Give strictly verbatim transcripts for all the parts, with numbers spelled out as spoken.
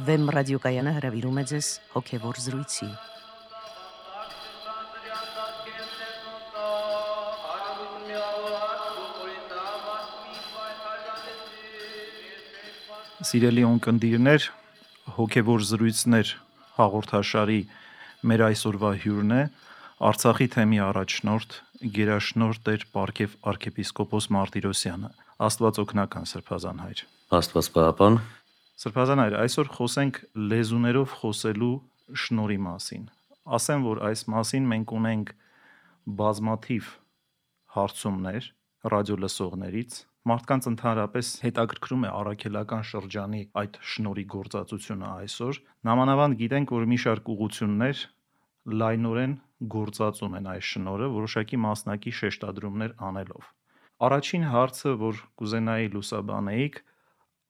Վեմ ռադիոկայանը հրավիրում է ձեզ հոգևոր զրույցի։ Սիրելի ունկնդիրներ, հոգևոր զրույցներ հաղորդաշարի մեր այսօրվա հյուրն է Արցախի թեմի առաջնորդ գերաշնորհ Տեր Պարգև arczepiskopos Մարտիրոսյանը։ Աստված օգնական Սրբազան հայր։ Աստված պահապան։ Սրբազան հայր, այսօր խոսենք լեզուներով խոսելու շնորհի մասին։ Ասեմ, որ այս մասին մենք ունենք բազմաթիվ հարցումներ ռադիոլսողներից։ Մարդկանց ընդհանրապես հետաքրքրում է առաքելական շրջանի այդ շնորհի գործածությունը այսօր։ Նամանավանդ գիտենք, որ մի շարք ուղղություններ լայնորեն գործածում են այս շնորհը, որոշակի մասնակի շեշտադրումներ անելով։ Առաջին հարցը, որ կուզենայի լուսաբանեիք,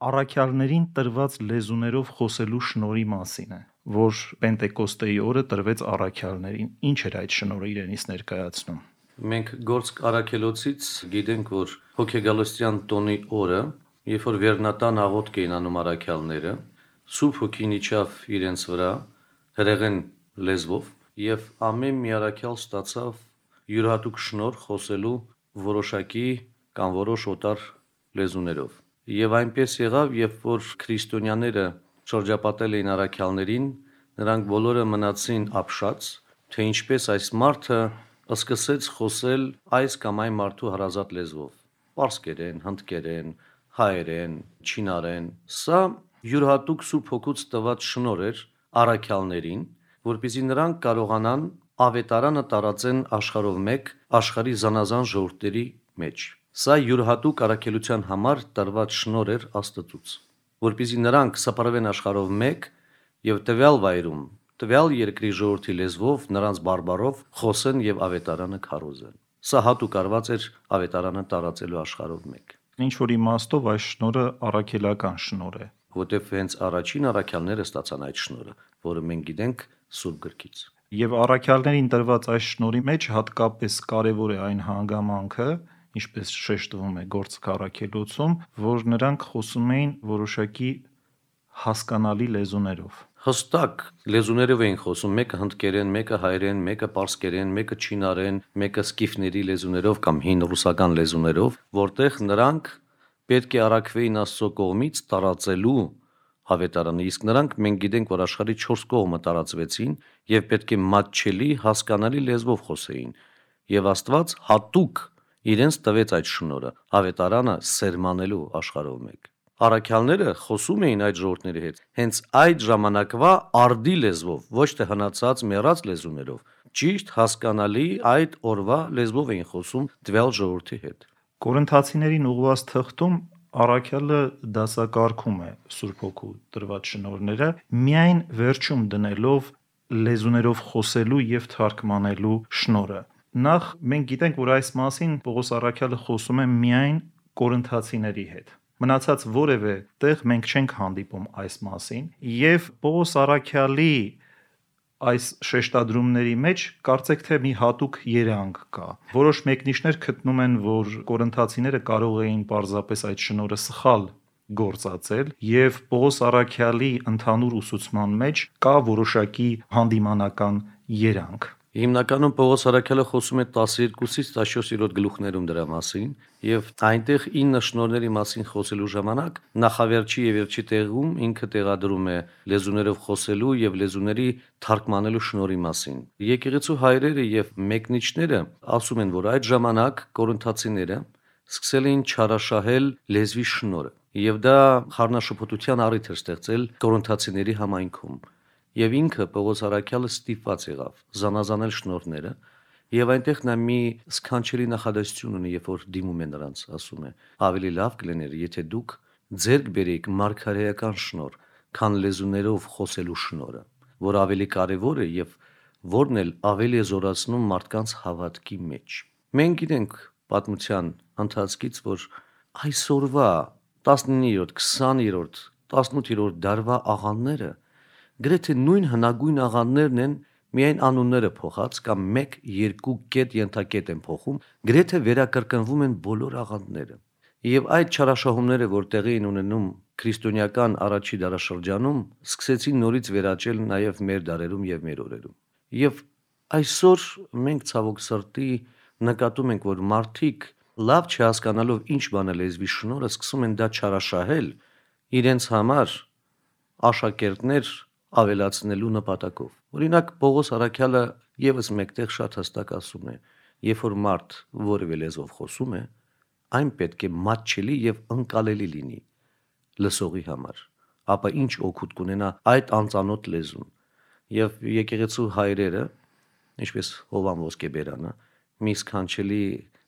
առաքյալներին տրված լեզուներով խոսելու շնորհի մասին է, որ Պենտեկոստեի օրը տրվեց առաքյալներին։ Ինչ էր այդ շնորհը իրենից ներկայացնում։ Մենք գործք առաքելոցից գիտենք, որ հոգեգալստյան տոնի օրը, երբ որ վերնատան աղոթք էին անում առաքյալները, Սուրբ Հոգին իջավ իրենց վրա հրեղեն լեզվով, եւ ամեն մի առաքյալ ստացավ յուրահատուկ շնորհ խոսելու որոշակի կամ որոշ օտար լեզուներով։ Եվ այնպես եղավ, երբ որ քրիստոնյաները շրջապատել էին առաքյալներին, նրանք բոլորը մնացին ապշած, թե ինչպես այս մարդը սկսեց խոսել այս կամ այն մարդու հարազատ լեզվով՝ պարսկերեն, հնդկերեն, հայերեն, չինարեն։ Սա յուրահատուկ Սուրբ Հոգուց տված շնորհ էր առաքյալներին, որպեսզի նրանք կարողանան ավետարանը տարածեն աշխարհով մեկ աշխարհի զանազան ժողովուրդների մեջ։ Սա յուրահատուկ առաքելության համար տրված շնորհ էր Աստծուց, որպեսզի նրանք սփռվեն աշխարհով մեկ եւ տվյալ վայրում տվյալ երկրի ժողովրդի լեզվով, նրանց բարբառով խոսեն եւ ավետարանը քարոզեն։ Սա հատուկ արված էր ավետարանը տարածելու աշխարհով մեկ։ Ինչ որ իմաստով այս շնորհը առաքելական շնորհ է, որտեղ հենց առաջին առաքյալները ստացան այդ շնորհը, որը մենք գիտենք Սուրբ գրքից։ Եվ առաքյալներին տրված այս շնորհի մեջ հատկապես կարևոր է այն հանգամանքը, ինչպես շեշտվում է գործք առաքելոցում, որ նրանք խոսում էին որոշակի հասկանալի լեզուներով։ Հստակ լեզուներով էին խոսում, մեկը հնդկերեն, մեկը հայերեն, մեկը պարսկերեն, մեկը չինարեն, մեկը սկիֆների լեզուներով կամ հին ռուսական լեզուներով, որտեղ նրանք պետք է առաքվեին Աստծո կողմից տարածելու ավետարանը, իսկ նրանք մենք գիտենք, որ աշխարհի չորս կողմը տարածվեցին եւ պետք է մատչելի, հասկանալի լեզվով խոսեին։ Եվ Աստված հատուկ իրենց տվեց այդ շնորհը ավետարանը սերմանելու աշխարհով մեկ։ Առաքյալները խոսում էին այդ ժողովուրդների հետ հենց այդ ժամանակվա արդի լեզվով, ոչ թե հնացած մեռած լեզուներով, ճիշտ հասկանալի այդ օրվա լեզվով էին խոսում տվյալ ժողովրդի հետ։ Կորինթացիներին ուղղված թղթում առաքյալը դասակարգում է Սուրբ Հոգու տրված շնորհները, միայն վերջում դնելով լեզուներով խոսելու եւ թարգմանելու շնորհը։ Նախ մենք գիտենք, որ այս մասին Պողոս առաքյալը խոսում է միայն կորինթացիների հետ։ Մնացած որևէ տեղ մենք չենք հանդիպում այս մասին, եւ Պողոս առաքյալի այս շեշտադրումների մեջ կարծեք թե մի հատուկ երանգ կա։ Որոշ մեկնիշներ գտնում են, որ կորինթացիները կարող էին պարզապես այդ շնորհը սխալ գործածել, եւ Պողոս առաքյալի ընդհանուր ուսուցման մեջ կա որոշակի հանդիմանական երանգ։ Հիմնականում Պողոս առաքյալը խոսում է տասներկուսից տասնչորս գլուխներում դրա մասին, եւ այնտեղ ինը շնորհների մասին խոսելու ժամանակ նախավերջի եւ վերջի տեղում ինքը տեղադրում է լեզուներով խոսելու եւ լեզուների թարգմանելու շնորհի մասին։ Եկեղեցու հայրերը եւ մեկնիչները ասում են, որ այդ ժամանակ կորինթացիները սկսել էին չարաշահել լեզվի շնորհը, եւ դա խառնաշփոթության առիթ էր ստեղծել կորինթացիների համայնքում։ Եվ ինքը Պողոս առաքյալը ստիպված եղավ զանազանել շնորհները, եւ այնտեղ նա մի սքանչելի նախադասություն ունի, երբ որ դիմում է նրանց, ասում է. ավելի լավ կլիներ, եթե դուք ձեռք բերեիք մարգարեական շնորհ, քան լեզուներով խոսելու շնորհը, որ ավելի կարևոր է եւ որն էլ ավելի է զորացնում մարդկանց հավատքի մեջ։ Մենք գիտենք պատմության ընթացքից, որ այսօրվա տասնիններորդ, քսաներորդ, տասնութերորդ դարվա աղանդները գրեթե նույն հնագույն աղանդներն են, միայն անունները փոխած կամ մեկ երկու կետ ենթակետ են փոխում, գրեթե վերակրկնվում են բոլոր աղանդները։ Եվ այդ չարաշահումները, որ տեղի են ունենում քրիստոնեական առաջի դարաշրջանում սկսեցին նորից վերաճել նաև մեր դարերում եւ մեր օրերում։ Եվ այսօր մենք ցավոք սրտի նկատում ենք, որ մարդիկ լավ չհասկանալով ինչ բան է լեզվի շնորհը, սկսում են դա չարաշահել իրենց համար աշակերտներ ավելացնելու նպատակով։ Օրինակ Պողոս առաքյալը եւս մեկտեղ շատ հստակ ասում է. երբ որ մարդ որևէ լեզվով խոսում է, այն պետք է մատչելի եւ ընկալելի լինի լսողի համար, ապա ինչ օգուտ կունենա այդ անծանոթ լեզուն։ Եվ եկեղեցու հայրերը, ինչպես Հովան Ոսկեբերանը, մի սքանչելի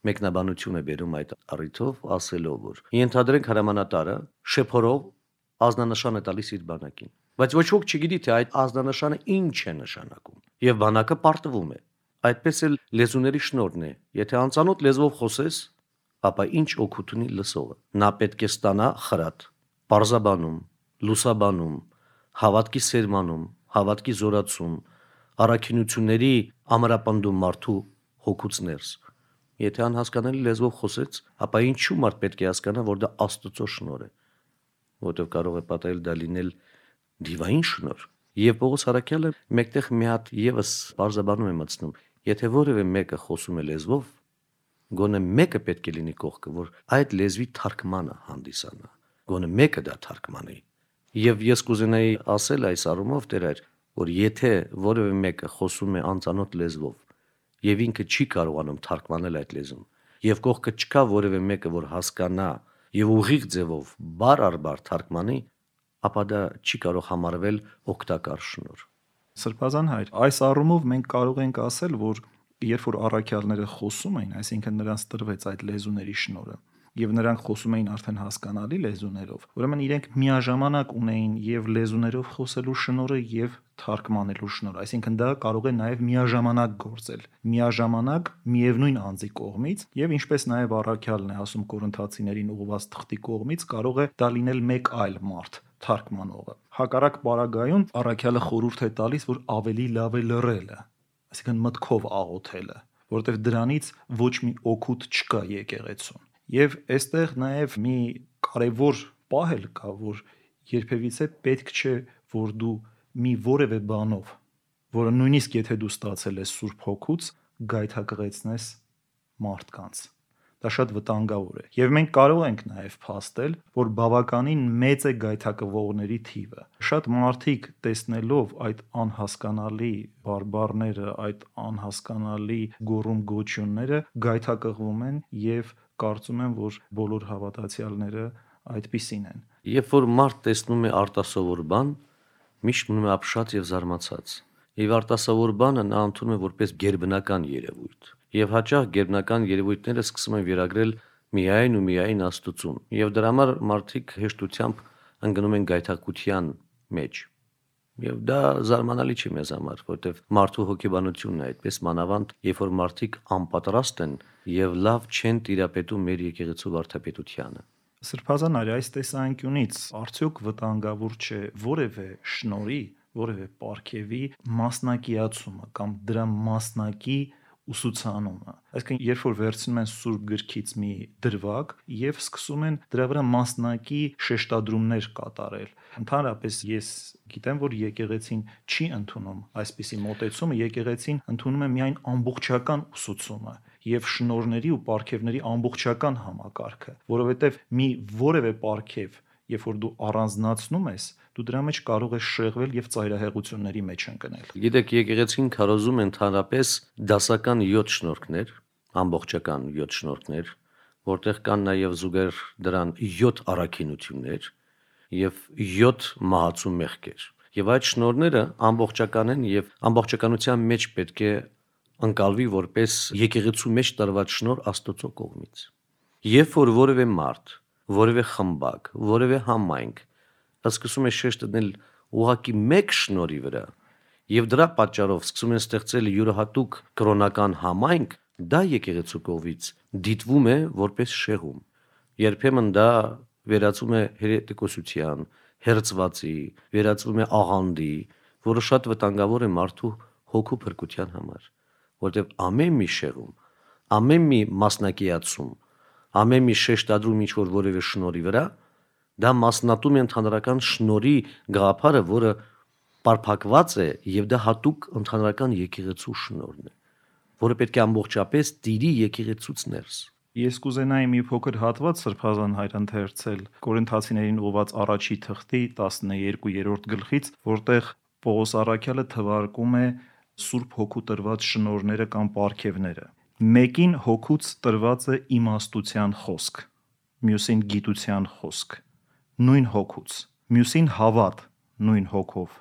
մեկնաբանություն է բերում այդ առիթով, ասելով, որ ենթադրենք հրամանատարը շեփորով ազնանշան է տալիս իր բանակին, բայց ոչ ոք չգիտի, թե այդ ազնանշանը ինչ է նշանակում, եւ բանակը պարտվում է։ Այդպես էլ լեզուների շնորհն է, եթե անծանոթ լեզվով խոսես, ապա ինչ օգուտ ունի լսողը։ Նա պետք է ստանա խրատ, պարզաբանում, լուսաբանում, հավատքի սերմանում, հավատքի զորացում, առաքինությունների ամրապնդում մարդու հոգուց ներս։ Եթե անհասկանալի լեզվով խոսեց, ապա ինչու մարդ պետք է հասկանա, որ դա Աստծո շնորհ է, որտեղ կարող է պատահել դա լինել դիվային շնորհ։ Եվ Պողոս առաքյալը մեկտեղ մի հատ եւս բարձաբանում է մտցնում, եթե որևէ մեկը խոսում է լեզվով, գոնե մեկը պետք է լինի կողքը, որ այդ լեզվի թարգմանը հանդիսանա, գոնե մեկը դա թարգմանի։ Եվ ես կուզենայի ասել այս առումով Տեր, որ եթե որևէ մեկը խոսում է անծանոթ լեզվով եւ ինքը չի կարողանում թարգմանել այդ լեզուն, եւ կողքը չկա որևէ մեկը, որ հասկանա եւ ուղիղ ձևով բար առ բար թարգմանի, ապա դա չի կարող համարվել օգտակար շնորհ։ Սրբազան հայր, այս առումով մենք կարող ենք ասել, որ երբ որ առաքյալները խոսում էին, այսինքն նրանց տրվեց այդ լեզուների շնորհը, եւ նրանք խոսում էին արդեն հասկանալի լեզուներով, ուրեմն իրենք միաժամանակ ունեին եւ լեզուներով խոսելու շնորհը եւ թարգմանելու շնորհը, այսինքն դա կարող է նաեւ միաժամանակ գործել, միաժամանակ միևնույն անձի կողմից, եւ ինչպես նաեւ առաքյալն է ասում Կորինթացիներին ուղղված թղթի կողմից, կարող է դա լինել մեկ այլ մարդ, թարգմանողը։ Հակառակ պարագայում առաքյալը խորհուրդ է տալիս, որ ավելի լավ է լռելը, այսինքն մտքով աղոթելը, որովհետեւ դրանից ոչ մի օգուտ չկա եկեղեցուն։ Եվ այստեղ նաև մի կարևոր պահ էլ կա, որ երբևիցե պետք չէ, որ դու մի որևէ բանով, որը նույնիսկ եթե դու ստացել ես Սուրբ Հոգուց, գայթակղեցնես մարդկանց։ Դա շատ վտանգավոր է։ Եվ մենք կարող ենք նաև փաստել, որ բավականին մեծ է գայթակղվողների թիվը։ Շատ մարդիկ տեսնելով այդ անհասկանալի բարբառները, այդ անհասկանալի գոռում գոչյունները, գայթակղվում են եւ կարծում եմ, որ բոլոր հավատացյալները այդպիսին են։ Երբ որ մարդ տեսնում է արտասովոր բան, միշտ մնում է ապշած եւ զարմացած։ Եվ արտասովոր բանը նա ընդունում է որպես գերբնական երևույթ։ Եվ հաճախ գերբնական երևույթները սկսում են վերագրել միայն ու միայն Աստծուն։ Եվ դրա համար մարդիկ հեշտությամբ ընկնում են գայթակղության մեջ։ Եվ դա զարմանալի չի մեզ համար, որովհետև մարդու հոգեբանությունն է այդպես մանավանդ, երբ որ մարդիկ անպատրաստ են եւ լավ չեն տիրապետում մեր եկեղեցու վարդապետությանը։ Սրբազան արի, այս տեսանկյունից արդյոք վտանգավոր չէ որևէ շնորհի, որևէ պարգևի մասնակիացումը կամ դրա մասնակի ուսուցանումը։ Այսինքն, երբ որ վերցնում են Սուրբ գրքից մի դրվագ եւ սկսում են դրա վրա մասնակի շեշտադրումներ կատարել։ Ընդհանրապես ես գիտեմ, որ եկեղեցին չի ընդունում այսպիսի մոտեցումը, եկեղեցին ընդունում է միայն ամբողջական ուսուցումը եւ շնորհների ու պարգևների ամբողջական համակարգը, որովհետեւ մի որևէ պարգև, երբ որ դու առանձնացնում ես, դու դրա մեջ կարող ես շեղվել եւ ծայրահեղությունների մեջ ընկնել։ Գիտեք, եկեղեցին քարոզում ընդհանրապես դասական յոթ շնորհքներ, ամբողջական յոթ շնորհքներ, որտեղ կան նաեւ զուգեր դրան յոթ առաքինություններ եւ յոթ մահացու մեղքեր։ Եվ այդ շնորհները ամբողջական են եւ ամբողջականության մեջ պետք է ընկալվի որպես եկեղեցու մեջ տրված շնորհ Աստծո կողմից։ Երբ որ որևէ մարդ, որևէ խմբակ, որևէ համայնք սկսում է շեշտ դնել ուղղակի մեկ շնորհի վրա եւ դրա պատճառով սկսում են ստեղծել յուրահատուկ կրոնական համայնք, դա եկեղեցու կողմից դիտվում է որպես շեղում։ Երբեմն դա վերածվում է հերետիկոսության, հերձվածի, վերածվում է աղանդի, որը շատ վտանգավոր է մարդու հոգու փրկության համար, որտեղ ամեն մի շեղում, ամեն մի մասնակիացում, ամեն մի շեշտադրում ինչ որ որևէ շնորհի վրա, Դա մասնատում է ընդհանրական շնորհի գաղափարը, որը պարփակված է եւ դա հատուկ ընդհանրական եկեղեցու շնորհն է, որը պետք է ամբողջապես տիրի եկեղեցուց ներս։ Ես կուզենայի մի փոքր հատված Սրբազան հայր ընթերցել Կորինթացիներին ուղված առաջի թղթի տասներկուերորդ գլխից, որտեղ Պողոս առաքյալը թվարկում է Սուրբ Հոգու տրված շնորհները կամ պարգևները։ Մեկին հոգուց տրված է իմաստության խոսք, մյուսին գիտության խոսք, նույն հոգուց, մյուսին հավատ, նույն հոգով,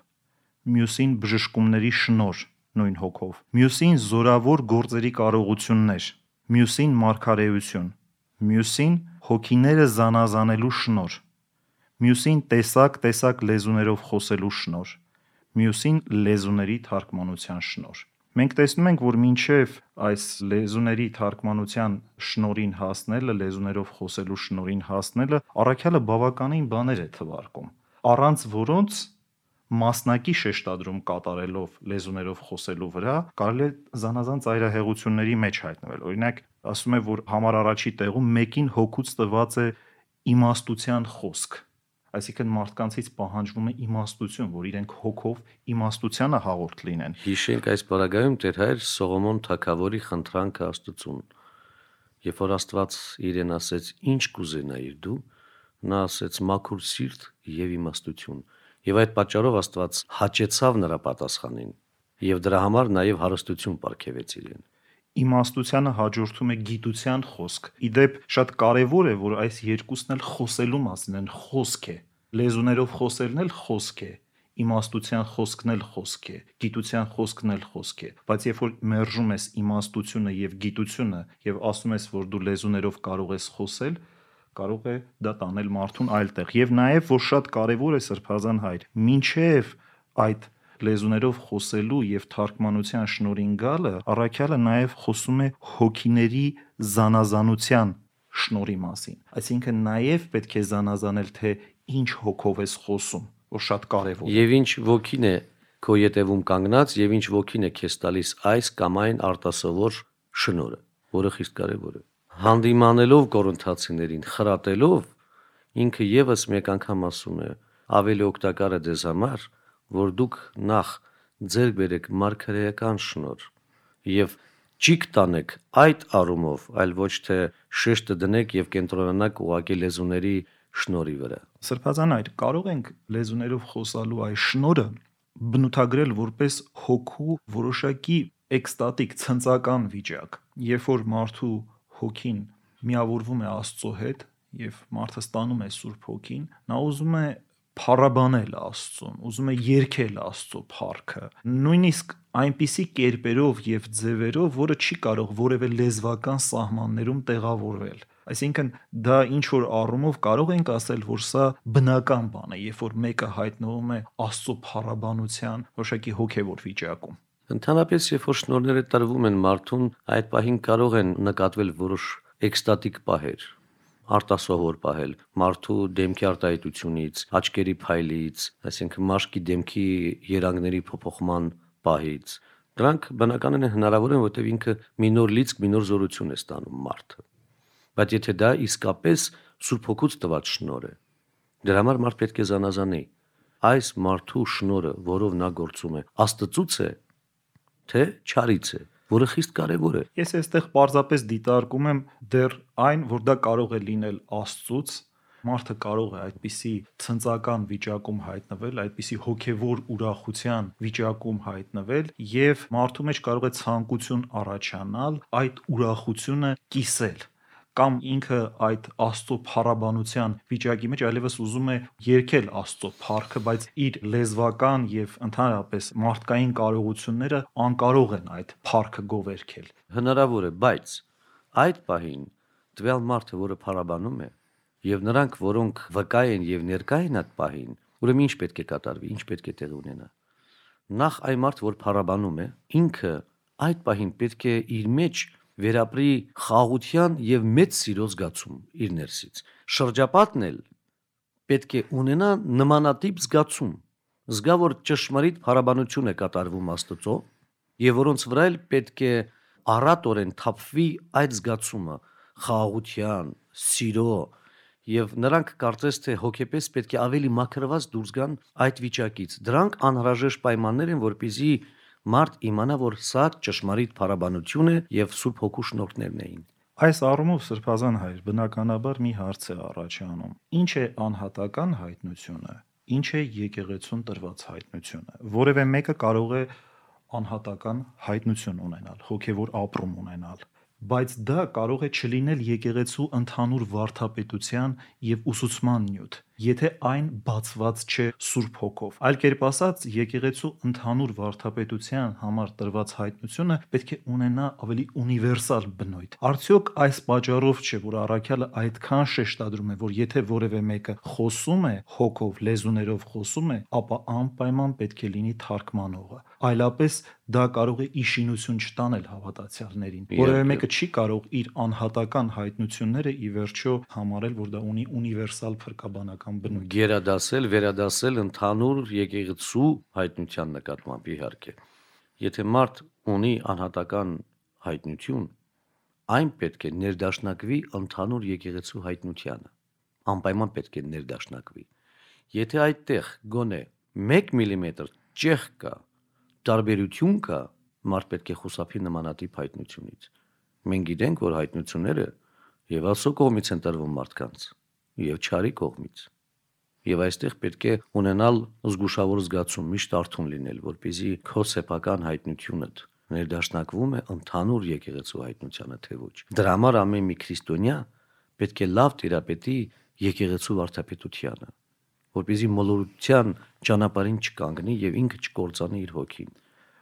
մյուսին բժշկումների շնորհ, նույն հոգով, մյուսին զորավոր գործերի կարողություններ, մյուսին մարգարեություն, մյուսին հոգիները զանազանելու շնորհ, մյուսին տեսակ-տեսակ լեզուներով խոսելու շնորհ, մյուսին լեզուների թարգմանության շնորհ։ Մենք տեսնում ենք, որ մինչև այս լեզուների թարգմանության շնորհին հասնելը, լեզուներով խոսելու շնորհին հասնելը, առաքյալը բավականին բաներ է թվարկում, առանց որոնց մասնակի շեշտադրում կատարելով լեզուներով խոսելու վրա կարելի է զանազան ծայրահեղությունների մեջ հայտնվել։ Օրինակ, ասում է, որ համար առաջի տեղում մեկին հոգուց տրված է իմաստության խոսք, այսինքն մարդկանցից պահանջվում է իմաստություն, որ իրենք հոգով իմաստությանը հաղորդ լինեն։ Հիշենք այս բaragայում Տեր հայր Սողոմոն թագավորի խնդրանքը Աստծուն, երբ որ Աստված իրեն ասեց. «Ինչ կուզենայիր դու», նա ասեց. «Մաքուր սիրտ եւ իմաստություն»։ Եվ այդ պատճառով Աստված հաճեցավ նրա պատասխանին եւ դրա համար նաեւ հարստություն պարգևեց իրեն։ Իմաստությանը հաջորդում է գիտության խոսք։ Իդեպ շատ կարևոր է, որ այս երկուսն էլ խոսելու մասին են, խոսք է։ Լեզուներով խոսելն էլ խոսք է, իմաստության խոսքն էլ խոսք է, գիտության խոսքն էլ խոսք է, բայց երբ որ մերժում ես իմաստությունը եւ գիտությունը եւ ասում ես, որ դու լեզուներով կարող ես խոսել, կարող է դա տանել մարդուն այլ տեղ։ Եվ նաեւ որ շատ կարևոր է Սրբազան հայր, մինչեւ այդ լեզուներով խոսելու եւ թարգմանության շնորհին գալը, առաքյալը նաեւ խոսում է հոգիների զանազանության շնորհի մասին։ Այսինքն նաեւ պետք է զանազանել, թե ինչ հոգով ես խոսում, որ շատ կարևոր է։ Եվ ինչ ոգին է քո ետևում կանգնած եւ ինչ ոգին է քեզ տալիս այս կամ այն արտասովոր շնորհը, որը խիստ կարևոր է։ Հանդիմանելով Կորինթացիներին, խրատելով, ինքը եւս մեկ անգամ ասում է. ավելի օգտակար է ձեզ համար, որ դուք նախ ձեռք բերեք մարգարեական շնորհ եւ ճիգ տանեք այդ առումով, այլ ոչ թե շեշտը դնեք եւ կենտրոնանաք ուղղակի լեզուների շնորհի վրա։ Սրբազան այր, կարող ենք լեզուներով խոսալու այս շնորհը բնութագրել որպես հոգու որոշակի էկստատիկ ցնծական վիճակ, երբ որ մարդու հոգին միավորվում է Աստծո հետ եւ մարդը ստանում է Սուրբ Հոգին, նա ուզում է փառաբանել Աստծուն, ուզում է երգել Աստծո փառքը, նույնիսկ այնպիսի կերպերով եւ ձևերով, որը չի կարող որևէ լեզվական սահմաններում տեղավորվել։ Այսինքն դա ինչ որ առումով կարող ենք ասել, որ սա բնական բան է, երբ որ մեկը հայտնվում է Աստծո փառաբանության որոշակի հոգեվոր վիճակում։ Ընդհանրապես, երբ որ շնորհները տրվում են մարդուն, այդ պահին կարող են նկատվել որոշ էկստատիկ պահեր, արտասովոր պահել մարդու դեմքի արտահայտությունից, աչքերի փայլից, այսինքն մաշկի դեմքի երանգների փոփոխման պահից։ Դրանք բնականին հնարավոր են, որտեղ ինքը մի նոր լիցք, մի նոր զորություն է ստանում մարդը։ Բայց եթե դա իսկապես Սուրբ Հոգուց տված շնորհ է, դրա համար մարդ պետք է զանազանի այս մարդու շնորհը, որով նա գործում է, Աստծուց է, թե չարից է, որը խիստ կարևոր է։ Ես այստեղ պարզապես դիտարկում եմ դեռ այն, որ դա կարող է լինել Աստծուց, մարդը կարող է այդպիսի ցնծական վիճակում հայտնվել, այդպիսի հոգևոր ուրախության վիճակում հայտնվել եւ մարդու մեջ կարող է ցանկություն առաջանալ այդ ուրախությունը կիսել, կամ ինքը այդ Աստծո փառաբանության վիճակի մեջ այլևս ուզում է երգել Աստծո փառքը, բայց իր լեզվական եւ ընդհանրապես մարդկային կարողությունները անկարող են այդ փառքը գովերքել։ Հնարավոր է, բայց այդ պահին տվյալ մարդը, որը փառաբանում է, եւ նրանք, որոնք վկա են եւ ներկա են այդ պահին, ուրեմն ինչ պետք է կատարվի, ինչ պետք է տեղի ունենա։ Նախ այն մարդ, որ փառաբանում է, ինքը այդ պահին պետք է իր մեջ վերապրի խաղաղության եւ մեծ սիրո զգացում իր ներսից։ Շրջապատն էլ պետք է ունենա նմանատիպ զգացում, զգա, որ ճշմարիտ փառաբանություն է կատարվում Աստծո եւ որոնց վրա էլ պետք է առատորեն թափվի այդ զգացումը խաղաղության, սիրո եւ նրանք կարծես թե հոգեպես պետք է ավելի մաքրված դուրս գան այդ վիճակից։ Դրանք անհրաժեշտ պայմաններ են, որպեսզի մարդ իմանա, որ սա ճշմարիտ փառաբանություն է եւ Սուրբ Հոգու շնորհներն էին։ Այս առումով Սրբազան հայր բնականաբար մի հարց է առաջանում. ինչ է անհատական հայտնությունը, ինչ է եկեղեցուն տրված հայտնությունը։ Որևէ մեկը կարող է անհատական հայտնություն ունենալ, հոգևոր ապրում ունենալ, բայց դա կարող է չլինել եկեղեցու ընդհանուր վարդապետության եւ ուսուցման նյութ, եթե այն բացված չէ Սուրբ Հոգով։ Այլ կերպ ասած, եկեղեցու ընդհանուր վարդապետության համար տրված հայտնությունը պետք է ունենա ավելի ունիվերսալ բնույթ։ Արդյոք այս պատճառով չէ, որ առաքյալը այդքան շեշտադրում է, որ եթե որևէ մեկը խոսում է հոգով, լեզուներով խոսում է, ապա անպայման պետք է լինի թարգմանողը։ Այլապես դա կարող է իշխանություն չտանել հավատացյալներին։ Որևէ մեկը չի կարող իր անհատական հայտնությունները ի վերջո համարել, որ դա ունի ունիվերսալ փրկաբանական բնույթ։ Գերադասել, վերադասել ընդհանուր եկեղեցու հայտնության նկատմամբ իհարկե։ Եթե մարդ ունի անհատական հայտնություն, այն պետք է ներդաշնակվի ընդհանուր եկեղեցու հայտնությանը։ Անպայման պետք է ներդաշնակվի։ Եթե այդտեղ գոնե մեկ միլիմետր ճեղք կա, տարբերություն կա, մարդ պետք է խուսափի նմանատիպ հայտնությունից։ Մենք գիտենք, որ հայտնությունները եւ Աստծո կողմից են տրվում մարդկանց, եւ չարի կողմից։ Եվ այստեղ պետք է ունենալ զգուշավոր զգացում, միշտ արթուն լինել, որպեսզի քո սեփական հայտնությունդ ներդաշնակվում է ընդհանուր եկեղեցու հայտնությանը, թե ոչ։ Դրա համար ամեն մի քրիստոնյա պետք է լավ տիրապետի եկեղեցու վարդապետությանը, որպեսզի մոլորության ճանապարհին չկանգնի եւ ինքը չկործանի իր հոգին։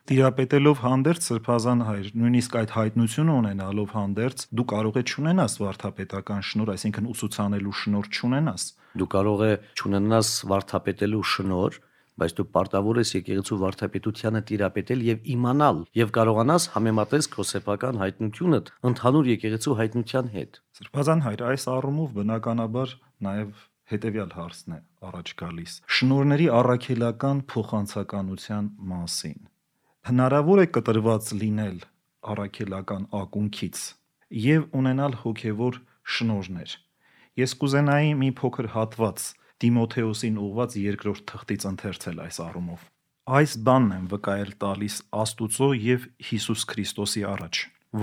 Տիրապետելով հանդերձ Սրբազան հայր, նույնիսկ այդ հայտնությունը ունենալով հանդերձ, դու կարող ես չունենաս վարդապետական շնորհ, այսինքն ուսուցանելու շնորհ չունենաս։ Դու կարող է չունենաս վարդապետելու շնորհ, բայց դու պարտավոր ես եկեղեցու վարդապետությանը տիրապետել եւ իմանալ եւ կարողանաս համեմատես քո սեփական հայտնությունդ ընդհանուր եկեղեցու հայտնության հետ։ Սրբազան հայր, այս առումով բնականաբար նաեւ հետեւյալ հարցն է առաջ գալիս. շնորհների առաքելական փոխանցականության մասին։ Հնարավոր է կտրված լինել առաքելական ակունքից եւ ունենալ հոգեվոր շնորհներ։ Ես կուզենայի մի փոքր հատված Տիմոթեոսին ուղված երկրորդ թղթից ընթերցել այս առումով։ Այս բանն եմ վկայել տալիս Աստուծո եւ Հիսուս Քրիստոսի առաջ,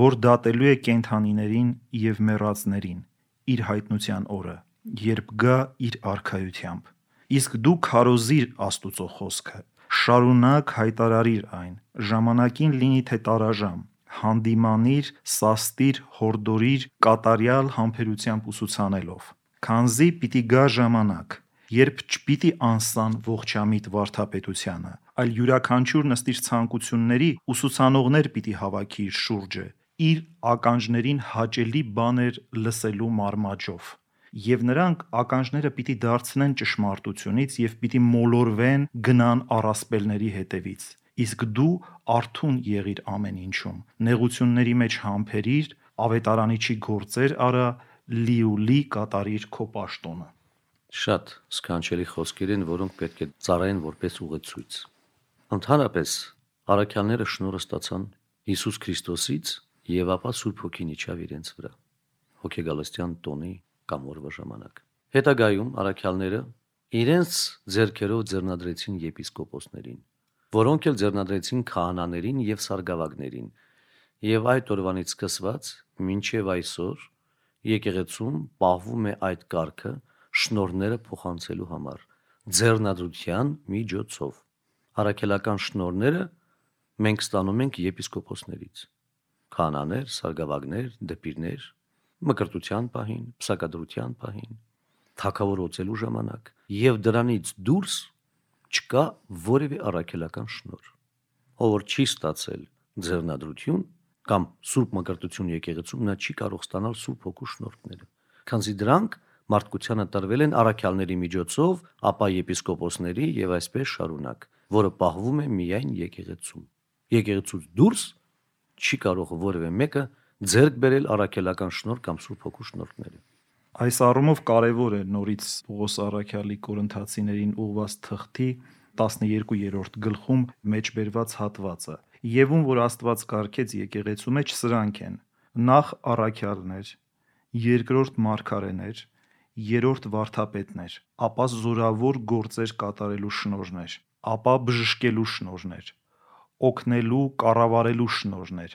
որ դատելու է կենդանիներին եւ մեռածներին իր հայտնության օրը, երբ գա իր արքայությամբ։ Իսկ դու քարոզիր Աստուծո խոսքը, շարունակ հայտարարիր այն, ժամանակին լինի թե տարաժամ, հանդիմանիր, սաստիր, հորդորիր, կատարյալ համբերությամբ ուսուցանելով, քանզի պիտի գա ժամանակ, երբ չպիտի անսան ողջամիտ վարդապետությանը, այլ յուրաքանչյուր նստիր ցանկությունների ուսուցանողներ պիտի հավաքի իր շուրջը, իր ականջներին հաճելի բաներ լսելու մարմաճով։ Եվ նրանք ականջները պիտի դարձնեն ճշմարտությունից եւ պիտի մոլորվեն գնան առասպելների հետևից։ Իսկ դու արթուն եղիր ամեն ինչում, նեղությունների մեջ համբերիր, ավետարանիչի գործեր արա, լիուլի կատարիր քո պաշտոնը։ Շատ սքանչելի խոսքեր են, որոնք պետք է ծառայեն որպես ուղեցույց։ Ընդհանրապես առաքյալները շնորհը ստացան Հիսուս Քրիստոսից եւ ապա Սուրբ Հոգին իջավ իրենց վրա։ Հոգեգալստյան տոնի կամ օրվա ժամանակ։ Հետագայում առաքյալները իրենց ձեռքերով ձեռնադրեցին եպիսկոպոսներին, որոնք էլ ձեռնադրեցին քահանաներին եւ սարգսավագներին, եւ այդ օրվանից սկսված մինչեւ այսօր եկեղեցում պահվում է այդ կարգը շնորհները փոխանցելու համար ձեռնադրության միջոցով։ Առաքելական շնորհները մենք ստանում ենք եպիսկոպոսներից, քահանաներ, սարգսավագներ, դպիրներ, մկրտության պահին, պսակադրության պահին, թագավորոցելու ժամանակ, եւ դրանից դուրս չկա որևէ առաքելական շնորհ։ Ով որ չի ստացել ձեռնադրություն կամ սուրբ մկրտություն եկեղեցում, նա չի կարող ստանալ Սուրբ Հոգու շնորհները, քանզի դրանք մարդկությանը տրվել են առաքյալների միջոցով, ապա եպիսկոպոսների եւ այսպես շարունակ, որը պահվում է միայն եկեղեցում։ Եկեղեցուց դուրս չի կարող որևէ մեկը ձեռք բերել առաքելական շնորհ կամ Սուրբ Հոգու շնորհները։ Այս առումով կարևոր է նորից Պողոս առաքյալի Կորինթացիներին ուղված թղթի տասներկուերորդ գլխում մեջբերված հատվածը։ Եվում որ Աստված կարգեց եկեղեցու մեջ սրանք են. նախ առաքյալներ, երկրորդ մարգարեներ, երրորդ վարդապետներ, ապա զորավոր գործեր կատարելու շնորհներ, ապա բժշկելու շնորհներ, օգնելու, կառավարելու շնորհներ,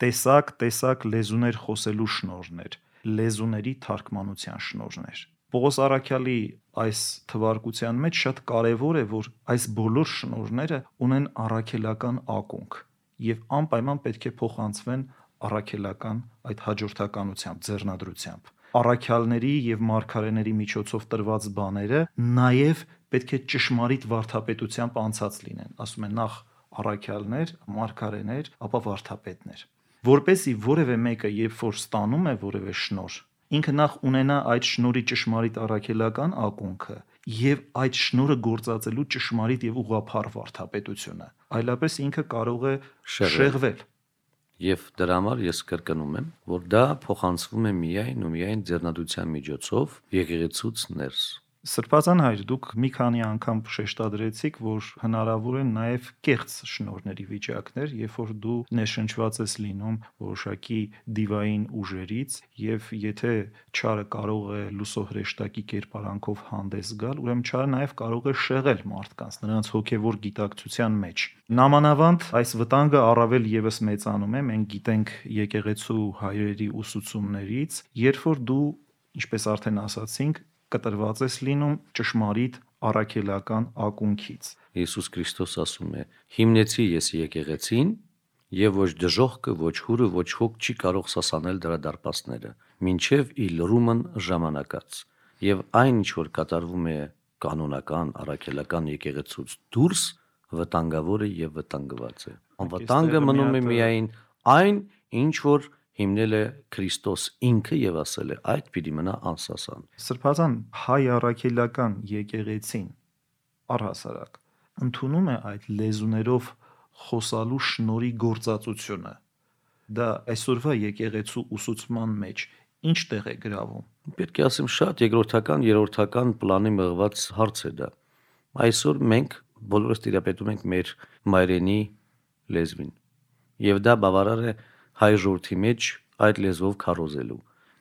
տեսակ-տեսակ լեզուներ խոսելու շնորհներ, լեզուների թարգմանության շնորհներ։ Պողոս առաքյալի այս թվարկության մեջ շատ կարևոր է, որ այս բոլոր շնորհները ունեն առաքելական ակունք եւ անպայման պետք է փոխանցվեն առաքելական այդ հաջորդականությամբ, ձեռնադրությամբ։ Առաքյալների եւ մարգարեների միջոցով տրված բաները նաեւ պետք է ճշմարիտ վարդապետությամբ անցած լինեն, ասում են նախ առաքյալներ, մարգարեներ, ապա վարդապետներ, որպեսզի որևէ մեկը երբ որ ստանում է որևէ շնորհ, ինքը նախ ունենա այդ շնորհի ճշմարիտ առաքելական ակունքը եւ այդ շնորհը գործածելու ճշմարիտ եւ ուղղափառ վարդապետությունը, այլապես ինքը կարող է շեղվել։ Եվ դրա համար ես կրկնում եմ, որ դա փոխանցվում է միայն ու միայն ձեռնադրության միջոցով եկեղեցուց ներս։ Սրբազան հայր, դուք մի քանի անգամ շեշտադրեցիք, որ հնարավոր են նաև կեղծ շնորհների վիճակներ, երբ որ դու ներշնչված ես լինում որոշակի դիվային ուժերից, եւ եթե չարը կարող է լուսոհրեշտակի կերպարանքով հանդես գալ, ուրեմն չարը նաև կարող է շեղել մարդկանց նրանց հոգևոր գիտակցության մեջ։ Նամանավանդ այս վտանգը առավել եւս մեծանում է, մենք գիտենք եկեղեցու հայրերի ուսուցումներից, երբ որ դու, ինչպես արդեն ասացինք, կտրված ես լինում ճշմարիտ առաքելական ակունքից։ Հիսուս Քրիստոս ասում է. հիմնեցի ես եկեղեցին, եւ ոչ դժոխքը, ոչ հուրը, ոչ հոգ չի կարող սասանել դրա դարպասները, մինչեւ ի լրումն ժամանակած։ Եվ այն, ինչ որ կատարվում է կանոնական առաքելական եկեղեցուց դուրս, վտանգավոր է եւ վտանգված է։ Անվտանգը մնում է միայն այն, ինչ որ հիմնել է Քրիստոս ինքը եւ ասել է այդ պիտի մնա անսասան։ Սրբազան հայ առաքելական եկեղեցին առհասարակ ընդունում է այդ լեզուներով խոսալու շնորհի գործածությունը։ Դա այսօրվա եկեղեցու ուսուցման մեջ ինչ տեղ է գրավում։ Պետք է ասեմ շատ երկրորդական, երրորդական պլանի մղված հարց է դա։ Այսօր մենք բոլորս տիրապետում ենք մեր մայրենի լեզվին։ Եվ դա բավարար է հայ ժողովրդի մեջ այդ լեզվով քարոզելու։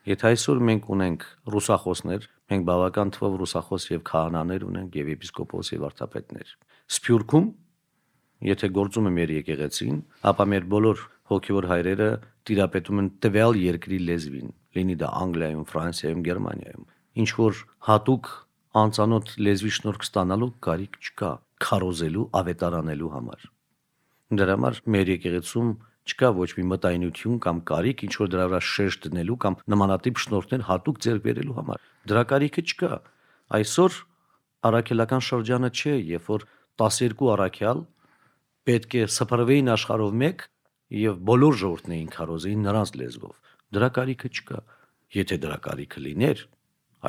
Եթե այսօր մենք ունենք ռուսախոսներ, մենք բավական թվով ռուսախոս եւ քահանաներ ունենք եւ եպիսկոպոս եւ վարդապետներ։ Սփյուռքում, եթե գործում է մեր եկեղեցին, ապա մեր բոլոր հոգեվոր հայրերը տիրապետում են տվյալ երկրի լեզվին, լինի դա Անգլիայում, Ֆրանսիայում, Գերմանիայում։ Ինչ որ հատուկ անծանոթ լեզվի շնորհք ստանալու կարիք չկա քարոզելու, ավետարանելու համար։ Դրա համար մեր եկեղեցում չկա ոչ մի մտայնություն կամ կարիք ինչ որ դրա վրա շեշտ դնելու կամ նմանատիպ շնորհներ հատուկ ձեռք բերելու համար։ Դրա կարիքը չկա։ Այսօր առաքելական շրջանը չէ, երբ որ տասներկու առաքյալ պետք է սփռվեին աշխարհով մեկ եւ բոլոր ժողովուրդն էին քարոզեին նրանց լեզվով։ Դրա կարիքը չկա։ Եթե դրա կարիքը լիներ,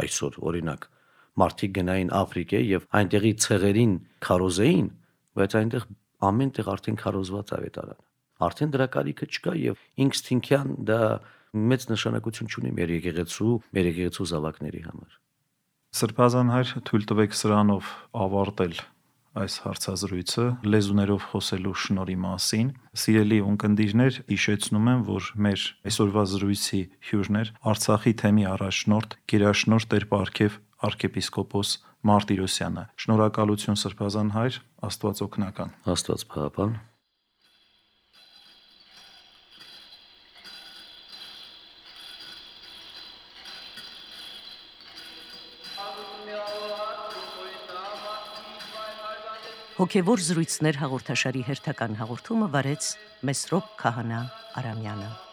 այսօր օրինակ մարդիկ գնային Աֆրիկա եւ այնտեղի ցեղերին քարոզեին, բայց այնտեղ ամեն տեղ արդեն քարոզված ավետարան։ Արդեն դրա կարիքը չկա եւ ինքնստինքյան դա մեծ նշանակություն ունի մեր եկեղեցու, մեր եկեղեցու զավակների համար։ Սրբազան հայր, թույլ տվեք սրանով ավարտել այս հարցազրույցը լեզուներով խոսելու շնորհի մասին։ Սիրելի ունկնդիրներ, հիշեցնում եմ, որ մեր այսօրվա զրույցի հյուրն էր Արցախի թեմի առաջնորդ, գերաշնորհ Տեր Պարքև arczepiskopos Մարտիրոսյանը։ Շնորհակալություն Սրբազան հայր, Աստված օգնական։ Աստված փառապան։ Հոգևոր զրույցներ հաղորդաշարի հերթական հաղորդումը վարեց Մեսրոպ Քահանա Արամյանը։